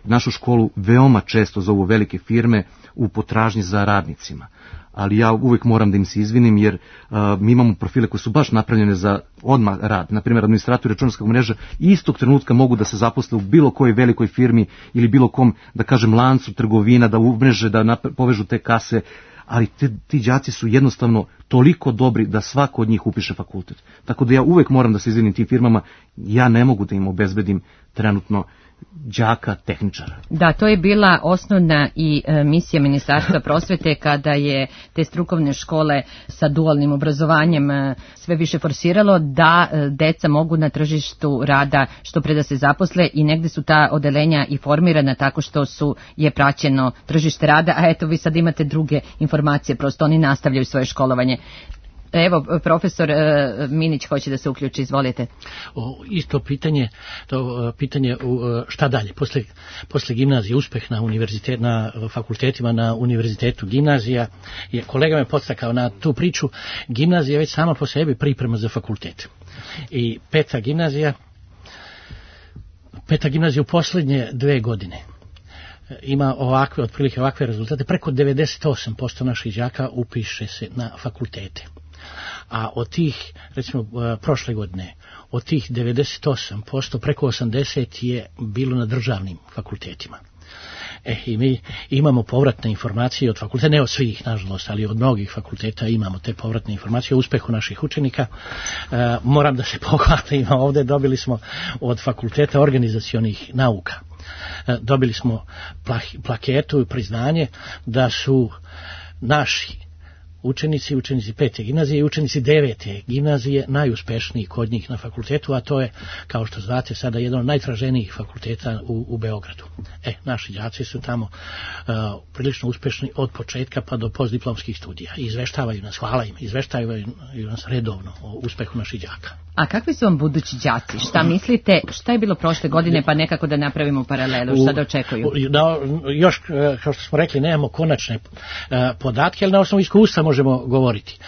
našu školu veoma često zovu velike firme u potražnji za radnicima. Ali ja uvijek moram da im se izvinim jer mi imamo profile koji su baš napravljene za odmah rad. Naprimjer, administratori računarskog mreža istog trenutka mogu da se zaposle u bilo kojoj velikoj firmi ili bilo kom, da kažem, lancu trgovina, da umreže, da povežu te kase, ali ti đaci su jednostavno toliko dobri da svako od njih upiše fakultet. Tako da ja uvijek moram da se izvinim tim firmama, ja ne mogu da im obezbedim trenutno đaka tehničara. Da, to je bila osnovna i misija Ministarstva prosvete kada je te strukovne škole sa dualnim obrazovanjem sve više forsiralo da deca mogu na tržištu rada što pre da se zaposle i negde su ta odelenja i formirana tako što je praćeno tržište rada, a eto vi sad imate druge informacije, prosto oni nastavljaju svoje školovanje. Evo, profesor Minić hoće da se uključi, izvolite. Isto pitanje, šta dalje? Posle gimnazije, uspeh na fakultetima, na univerzitetu gimnazija, kolega me podstakao na tu priču, gimnazija je već sama po sebi priprema za fakultet. I peta gimnazija u poslednje 2 godine ima otprilike ovakve rezultate, preko 98% naših đaka upiše se na fakultete. A od tih, recimo prošle godine, od tih 98%, preko 80% je bilo na državnim fakultetima. I mi imamo povratne informacije od fakulteta, ne od svih, nažalost, ali od mnogih fakulteta imamo te povratne informacije o uspehu naših učenika. Moram da se pohvalim, ovde dobili smo od fakulteta organizacionih nauka. Dobili smo plaketu i priznanje da su naši učenici 5. gimnazije i učenici 9. gimnazije najuspešniji kod njih na fakultetu, a to je, kao što znate, sada jedan od najtraženijih fakulteta u Beogradu. Naši đaci su tamo prilično uspešni od početka pa do postdiplomskih studija. Izveštavaju nas, hvala im, izveštavaju nas redovno o uspehu naših đaka. A kakvi su vam budući đaci? Šta mislite, šta je bilo prošle godine, pa nekako da napravimo paralelu, šta da očekuju? Još, kao što smo rekli, nemamo konačne podatke, ali na osnovu iskustva možemo govoriti.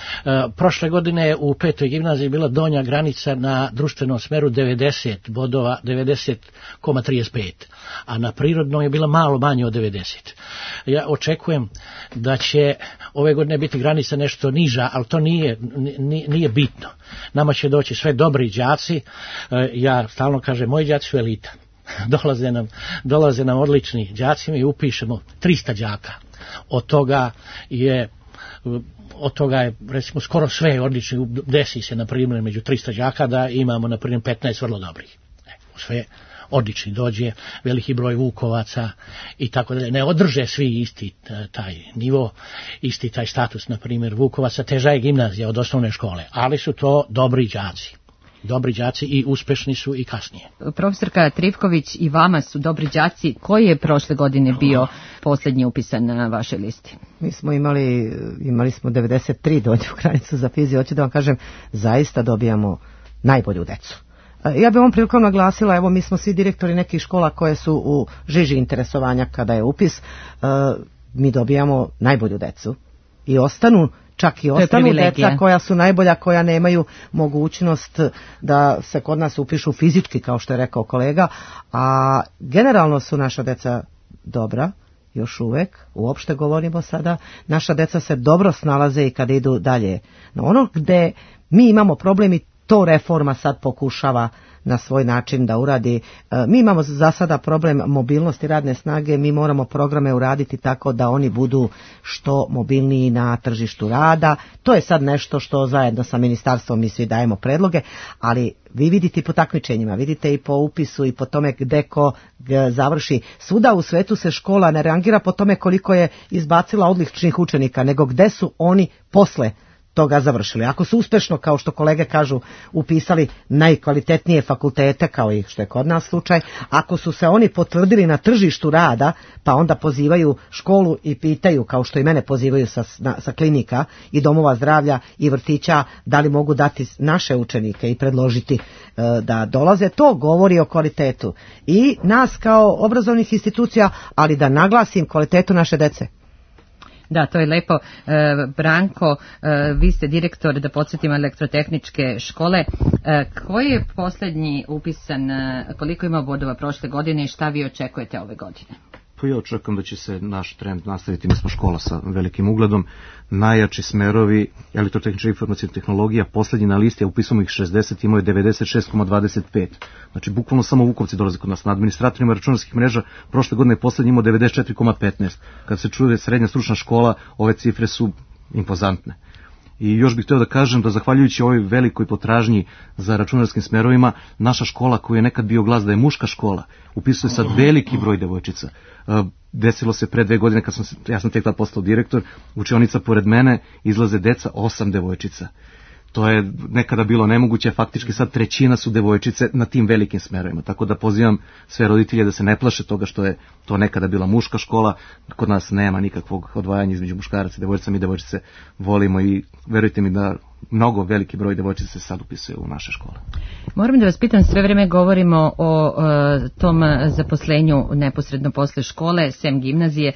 Prošle godine u 5. gimnaziji bila donja granica na društvenom smeru 90 bodova, 90,35, a na prirodnom je bila malo manje od 90. Ja očekujem da će ove godine biti granica nešto niža, ali to nije bitno. Nama će doći sve dobri đaci, ja stalno kažem, moji đaci su elita. Dolaze nam odlični đaci, mi upišemo 300 đaka. Od toga je recimo skoro sve odlični, desi se na primjer među 300 đaka da imamo na primjer 15 vrlo dobrih. odlični, dođe veliki broj Vukovaca i tako dalje. Ne održe svi isti taj nivo, isti taj status, na primjer Vukovaca, teža je gimnazija od osnovne škole, ali su to dobri đaci i uspešni su i kasnije. Profesorka Trivković, i vama su dobri đaci. Koji je prošle godine bio posljednji upisan na vašoj listi? Mi smo imali smo 93 donju granicu za fiziju. Hoću da vam kažem, zaista dobijamo najbolju decu. Ja bih ovom prilikom naglasila, evo mi smo svi direktori nekih škola koje su u žiži interesovanja kada je upis, mi dobijamo najbolju decu i ostanu deca koja su najbolja, koja nemaju mogućnost da se kod nas upišu fizički, kao što je rekao kolega, a generalno su naša deca dobra, još uvek, uopšte govorimo sada, naša deca se dobro snalaze i kada idu dalje. No ono gde mi imamo problem i to reforma sad pokušava na svoj način da uradi. Mi imamo za sada problem mobilnosti radne snage, mi moramo programe uraditi tako da oni budu što mobilniji na tržištu rada. To je sad nešto što zajedno sa ministarstvom mi svi dajemo predloge, ali vi vidite i po takmičenjima, vidite i po upisu i po tome gde ko završi. Svuda u svetu se škola ne rangira po tome koliko je izbacila odličnih učenika, nego gde su oni posle toga završili. Ako su uspešno, kao što kolege kažu, upisali najkvalitetnije fakultete, kao i što je kod nas slučaj, ako su se oni potvrdili na tržištu rada, pa onda pozivaju školu i pitaju, kao što i mene pozivaju sa klinika i domova zdravlja i vrtića, da li mogu dati naše učenike i predložiti da dolaze, to govori o kvalitetu i nas kao obrazovnih institucija, ali da naglasim kvalitetu naše dece. Da, to je lepo. Branko, vi ste direktor, da podsjetimo, elektrotehničke škole. Koji je posljednji upisan, koliko ima bodova prošle godine i šta vi očekujete ove godine? Pa ja očekujem da će se naš trend nastaviti. Mi smo škola sa velikim ugledom. Najjači smerovi elektrotehnička informacijna tehnologija, posljednji na listi, a upisamo ih 60, imao je 96,25. Znači, bukvalno samo Vukovci dolaze kod nas. Na administratorima računarskih mreža prošle godine je posljednji imao 94,15. Kad se čuje srednja stručna škola, ove cifre su impozantne. I još bih htio da kažem da zahvaljujući ovoj velikoj potražnji za računarskim smerovima, naša škola, koja je nekad bio glas da je muška škola, upisuje sad veliki broj devojčica. Desilo se pre 2 godine, ja sam tek tad postao direktor, učionica pored mene izlaze deca, 8 devojčica. To je nekada bilo nemoguće, faktički sad 1/3 su devojčice na tim velikim smerovima. Tako da pozivam sve roditelje da se ne plaše toga što je to nekada bila muška škola. Kod nas nema nikakvog odvajanja između muškaraca i devojčica. Mi devojčice volimo i verujte mi da mnogo veliki broj devojčica se sad upisuje u naše škole. Moram da vas pitam, sve vreme govorimo o tom zaposlenju neposredno posle škole, sem gimnazije,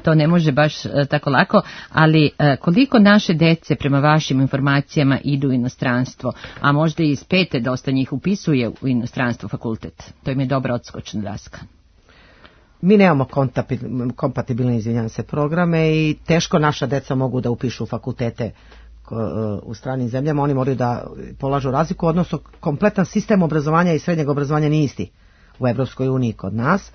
to ne može baš tako lako, ali koliko naše dece prema vašim informacijama idu u inostranstvo, a možda i iz 5. dosta njih upisuje u inostranstvo fakultet? To im je dobra odskočna daska. Mi nemamo kompatibilne, programe i teško naša deca mogu da upišu fakultete u stranim zemljama. Oni moraju da polažu razliku, odnosno kompletan sistem obrazovanja i srednjeg obrazovanja nije isti u Evropskoj uniji kod nas.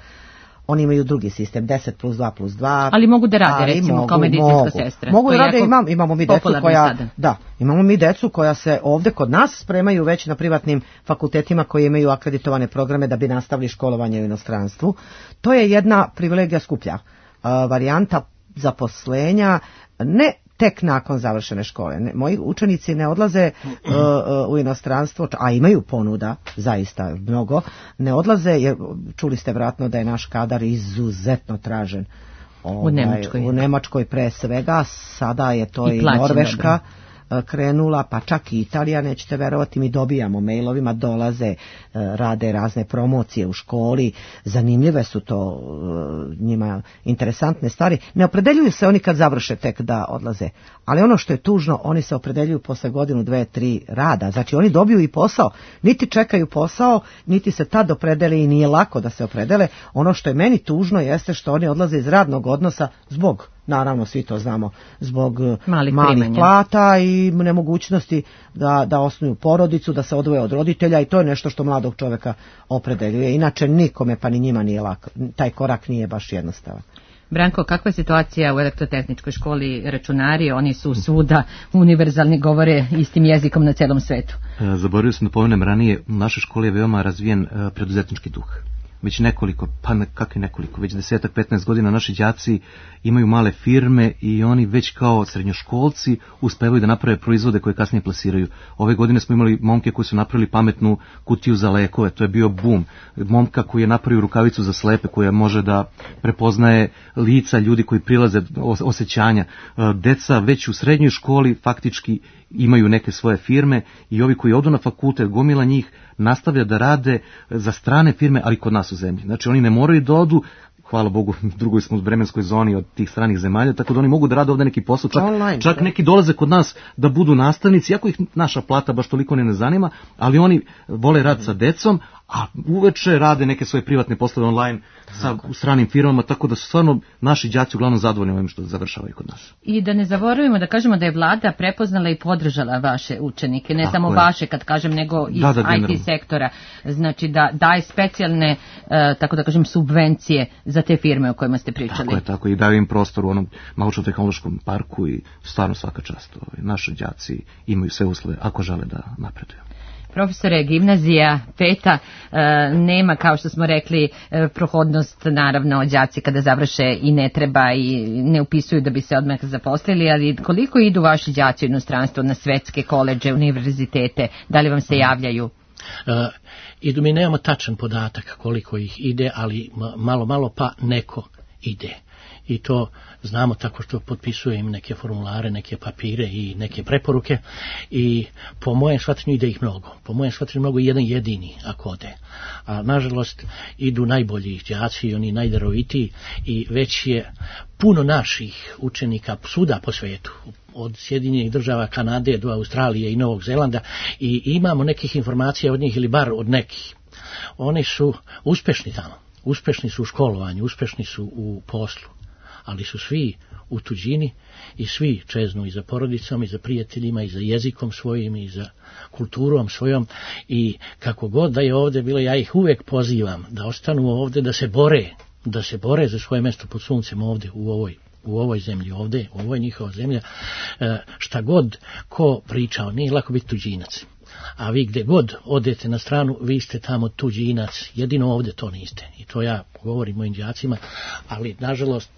Oni imaju drugi sistem, 10+2+2. Ali mogu da rade, recimo, kao medicinska sestra. Mogu da rade, imamo mi decu koja... Da, imamo mi decu koja se ovde kod nas spremaju već na privatnim fakultetima koji imaju akreditovane programe da bi nastavili školovanje u inostranstvu. To je jedna privilegija skuplja. Varijanta zaposlenja, ne tek nakon završene škole. Moji učenici ne odlaze u inostranstvo, a imaju ponuda, zaista mnogo, ne odlaze, jer čuli ste vjerojatno da je naš kadar izuzetno tražen u Nemačkoj pre svega, sada je to i Norveška krenula, pa čak i Italija, nećete verovati, mi dobijamo mailovima, dolaze, rade razne promocije u školi, zanimljive su to njima interesantne stvari. Ne opredeljuju se oni kad završe tek da odlaze, ali ono što je tužno, oni se opredeljuju posle 1, 2, 3 rada, znači oni dobiju i posao, niti čekaju posao, niti se tad opredele i nije lako da se opredele. Ono što je meni tužno jeste što oni odlaze iz radnog odnosa zbog, naravno svi to znamo, zbog malih plata i nemogućnosti da osnuju porodicu, da se odvoje od roditelja, i to je nešto što mladog čovjeka opredeljuje. Inače nikome, pa ni njima nije lako. Taj korak nije baš jednostavan. Branko, kakva je situacija u elektrotehničkoj školi? Računari, oni su svuda univerzalni, govore istim jezikom na celom svetu. Zaboravio sam da pomenem ranije, u našoj školi je veoma razvijen preduzetnički duh. Već nekoliko, već 10-15 godina naši đaci imaju male firme i oni već kao srednjoškolci uspevaju da naprave proizvode koje kasnije plasiraju. Ove godine smo imali momke koji su napravili pametnu kutiju za lekove, to je bio boom. Momka koji je napravio rukavicu za slepe koja može da prepoznaje lica ljudi koji prilaze, osjećanja. Deca već u srednjoj školi faktički imaju neke svoje firme i ovi koji odu na fakultet, gomila njih nastavlja da rade za strane firme, ali kod nas u zemlji. Znači oni ne moraju da odu, hvala Bogu, drugoj smo u vremenskoj zoni od tih stranih zemalja, tako da oni mogu da rade ovde neki posao, čak neki dolaze kod nas da budu nastavnici, iako ih naša plata baš toliko ne zanima, ali oni vole rad sa decom, a uveče rade neke svoje privatne poslove online sa stranim firmama, tako da su stvarno naši đaci uglavnom zadovoljni ovim što završavaju kod nas. I da ne zaboravimo da kažemo da je vlada prepoznala i podržala vaše učenike, ne samo vaše kad kažem, nego iz IT sektora, znači da daje specijalne, tako da kažem, subvencije za te firme o kojima ste pričali. Tako i daju im prostor u onom naučno-tehnološkom parku i stvarno svaka čast. Naši đaci imaju sve uslove ako žele da napreduju. Profesore, gimnazija 5. nema, kao što smo rekli, prohodnost, naravno, đaci kada završe i ne treba i ne upisuju da bi se odmah zaposlili, ali koliko idu vaši đaci u inostranstvo na svetske koledže, univerzitete, da li vam se javljaju? Idu, mi nemamo tačan podatak koliko ih ide, ali malo pa neko ide. I to znamo tako što potpisuje im neke formulare, neke papire i neke preporuke i po mojem shvatanju ide ih mnogo. Po mojem shvatanju mnogo jedan jedini ako ode. A nažalost idu najbolji đaci, oni najdarovitiji i već je puno naših učenika svuda po svetu, od Sjedinjenih država, Kanade do Australije i Novog Zelanda i imamo nekih informacija od njih ili bar od nekih. Oni su uspešni tamo, uspešni su u školovanju, uspešni su u poslu. Ali su svi u tuđini i svi čeznu i za porodicom, i za prijateljima, i za jezikom svojim, i za kulturom svojom. I kako god da je ovdje bilo, ja ih uvek pozivam da ostanu ovdje, da se bore za svoje mesto pod suncem ovdje, u ovoj zemlji ovdje, ovo je njihova zemlja. Šta god ko pričao, nije lako biti tuđinac. A vi gdje god odete na stranu, vi ste tamo tuđinac, jedino ovdje to niste. I to ja govorim mojim đacima, ali nažalost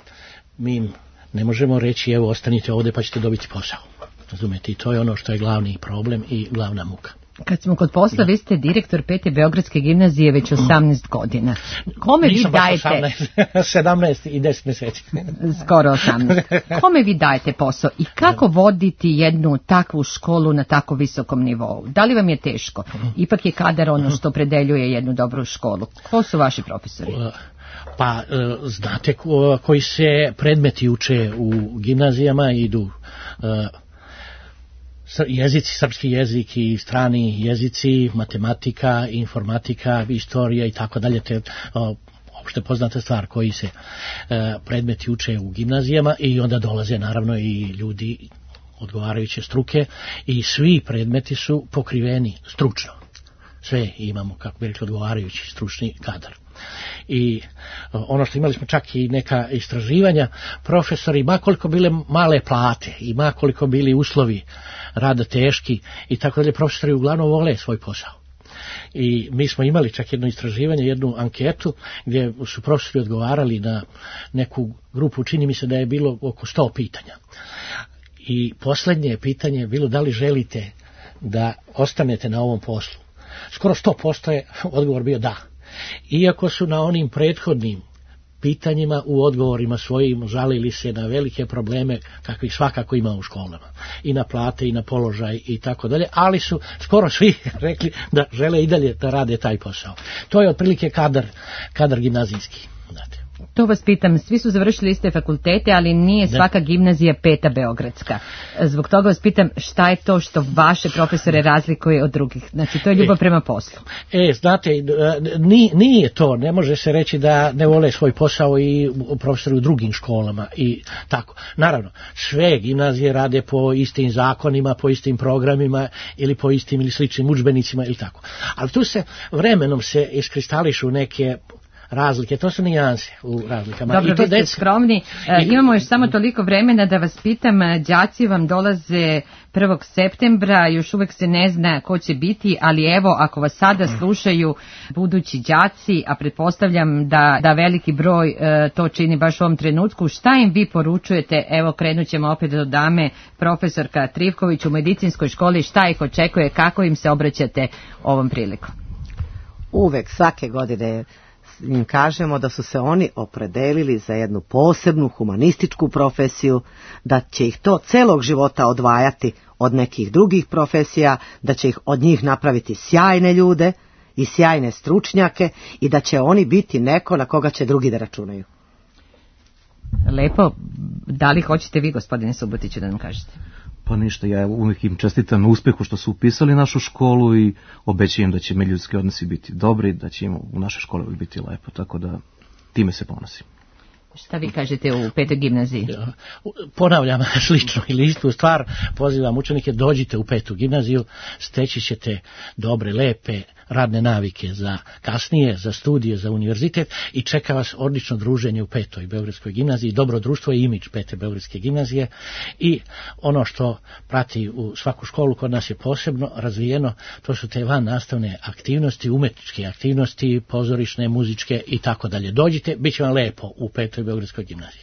mi im ne možemo reći evo ostanite ovdje pa ćete dobiti posao. Razumete, i to je ono što je glavni problem i glavna muka. Kad smo kod posla, vi ste direktor 5. Beogradske gimnazije već 18 godina. Kome vi dajete... 17 i 10 mjeseci. Skoro 18. Kome vi dajete posao i kako voditi jednu takvu školu na tako visokom nivou? Da li vam je teško? Ipak je kadar ono što predeljuje jednu dobru školu. Ko su vaši profesori? Pa znate koji se predmeti uče u gimnazijama, idu jezici, srpski jezik i strani jezici, matematika, informatika, istorija i tako dalje, te opšte poznata stvar koji se predmeti uče u gimnazijama i onda dolaze naravno i ljudi odgovarajuće struke i svi predmeti su pokriveni stručno. Sve imamo, kako bi rekli, odgovarajući stručni kadar. I ono što imali smo čak i neka istraživanja, profesori, makoliko bile male plate i makoliko bili uslovi rada teški i tako dalje, profesori uglavnom vole svoj posao. I mi smo imali čak jedno istraživanje, jednu anketu gdje su profesori odgovarali na neku grupu, čini mi se da je bilo oko 100 pitanja. I posljednje pitanje je bilo da li želite da ostanete na ovom poslu. Skoro 100% je odgovor bio da. Iako su na onim prethodnim pitanjima u odgovorima svojim žalili se na velike probleme kakvih svakako ima u školama. I na plate i na položaj i tako dalje, ali su skoro svi rekli da žele i dalje da rade taj posao. To je otprilike kadar gimnazijski. Znate. To vas pitam, svi su završili iste fakultete, ali nije svaka gimnazija 5. beogradska. Zbog toga vas pitam šta je to što vaše profesore razlikuje od drugih. Znači, to je ljubav prema poslu. Znate, nije to. Ne može se reći da ne vole svoj posao i profesori u drugim školama i tako. Naravno, sve gimnazije rade po istim zakonima, po istim programima ili po istim ili sličnim udžbenicima ili tako. Ali tu se vremenom se iskristališu neke razlike, to su nijanse u razlikama. Dobro, I to vi ste skromni. Imamo još samo toliko vremena da vas pitam, đaci vam dolaze 1. septembra, još uvek se ne zna ko će biti, ali evo, ako vas sada slušaju budući đaci, a pretpostavljam da veliki broj to čini baš u ovom trenutku, šta im vi poručujete? Evo, krenut ćemo opet do dame, profesorka Trivković u medicinskoj školi, šta ih očekuje, kako im se obraćate ovom prilikom? Uvek, svake godine im kažemo da su se oni opredelili za jednu posebnu humanističku profesiju, da će ih to celog života odvajati od nekih drugih profesija, da će ih od njih napraviti sjajne ljude i sjajne stručnjake i da će oni biti neko na koga će drugi da računaju. Lepo. Da li hoćete vi, gospodine Subotiću, da nam kažete? Pa ništa, ja uvijek im čestitam na uspehu što su upisali našu školu i obećajem da će međuljudski odnosi biti dobri, da će im u našoj školi biti lepo, tako da time se ponosim. Šta vi kažete u petoj gimnaziji? Ponavljam slično ili istu stvar, pozivam učenike, dođite u petu gimnaziju, steći ćete dobre, lepe radne navike za kasnije, za studije, za univerzitet i čeka vas odlično druženje u petoj Beogradskoj gimnaziji, dobro društvo i imidž pete Beogradske gimnazije i ono što prati u svaku školu kod nas je posebno razvijeno, to su te van nastavne aktivnosti, umetničke aktivnosti, pozorišne, muzičke i tako dalje. Dođite, bit će vam lepo u petoj Beogradskoj gimnaziji.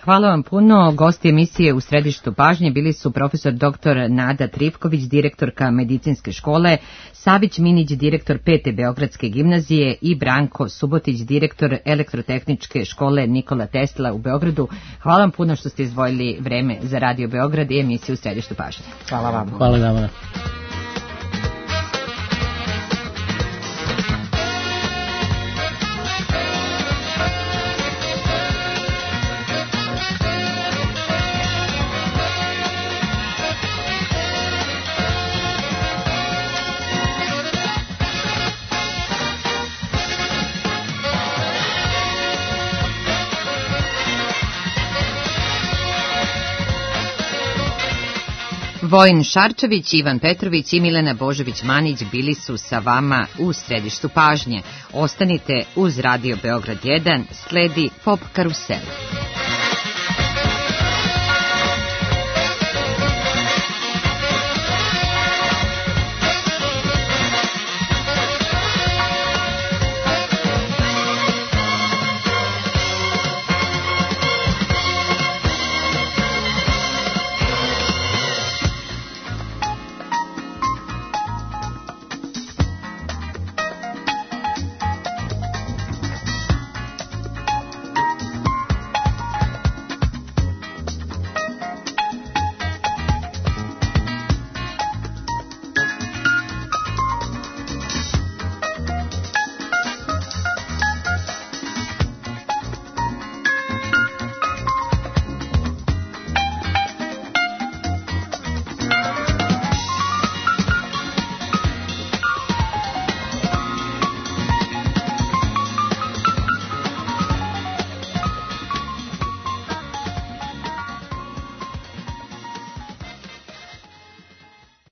Hvala vam puno. Gosti emisije u središtu pažnje bili su profesor dr. Nada Trivković, direktorka medicinske škole, Savić Minić, direktor 5. Beogradske gimnazije i Branko Subotić, direktor elektrotehničke škole Nikola Tesla u Beogradu. Hvala vam puno što ste izdvojili vreme za Radio Beograd i emisiju u središtu pažnje. Hvala vam. Hvala vam. Vojin Šarčević, Ivan Petrović i Milena Božović-Manić bili su sa vama u središtu pažnje. Ostanite uz Radio Beograd 1, sledi Pop Karusel.